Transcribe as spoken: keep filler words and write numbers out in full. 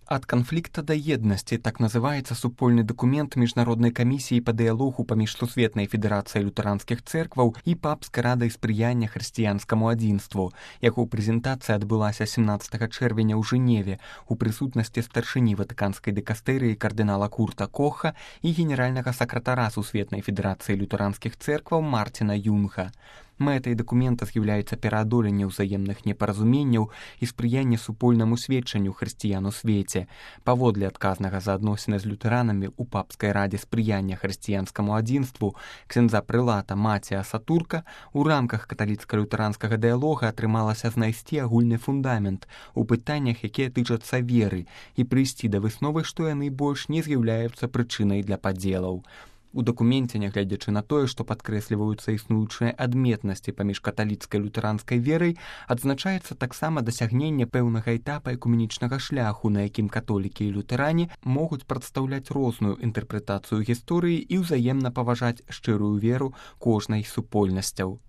Ад канфлікта да еднасці, так называецца супольны дакумент міжнароднай камісіі па дыялогу паміж Сусветнай федэрацыяй лютэранскіх цэркваў і папскай радай спрыяння хрысціянскаму адзінству. Яго прэзентацыя адбылася семнаццатага чэрвеня ў Жэневе у прысутнасці старшыні ватыканскай дыкастэрыі кардынала Курта Коха і генеральнага сакратара Сусветнай федэрацыі лютэранскіх цэркваў Марціна Юнга. Мэтай дакумента з'яўляецца пераадоленне ўзаемных непаразуменняў і спрыянне супольнаму сведчанню хрысціян у свеце. Паводле адказнага за адносіны з лютэранамі ў папскай радзе спрыяння хрысціянскаму адзінству ксяндза прылата Мація Сатурка у рамках каталіцка-лютэранскага дыялога атрымалася знайсці агульны фундамент у пытаннях, якія тычацца веры, і прыйсці да высновы, што яны больш не з'яўляюцца прычынай для падзелаў. У дакуменце, нягледзячы на тое, што падкрэсліваюцца існуючыя адметнасці паміж каталіцкай лютэранскай верай, адзначаецца таксама дасягненне пэўнага этапа экуменічнага шляху, на якім католікі і лютэрані могуць прадстаўляць розную інтэрпрэтацыю гісторыі і ўзаемна паважаць шчырую веру кожнай з супольнасцяў.